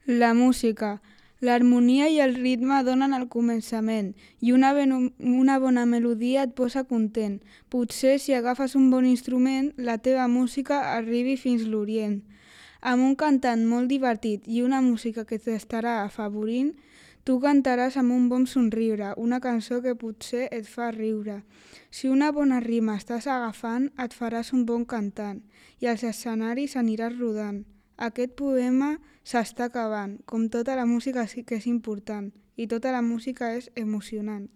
La música. L'harmonia i el ritme donen el començament i una bona melodia et posa content. Potser si agafes un bon instrument, la teva música arribi fins l'Orient. Amb un cantant molt divertit i una música que t'estarà afavorint, tu cantaràs amb un bon somriure, una cançó que potser et fa riure. Si una bona rima estàs agafant, et faràs un bon cantant i als escenaris aniràs rodant. Aquest poema s'està acabant, com tota la música sí que és important, i tota la música és emocionant.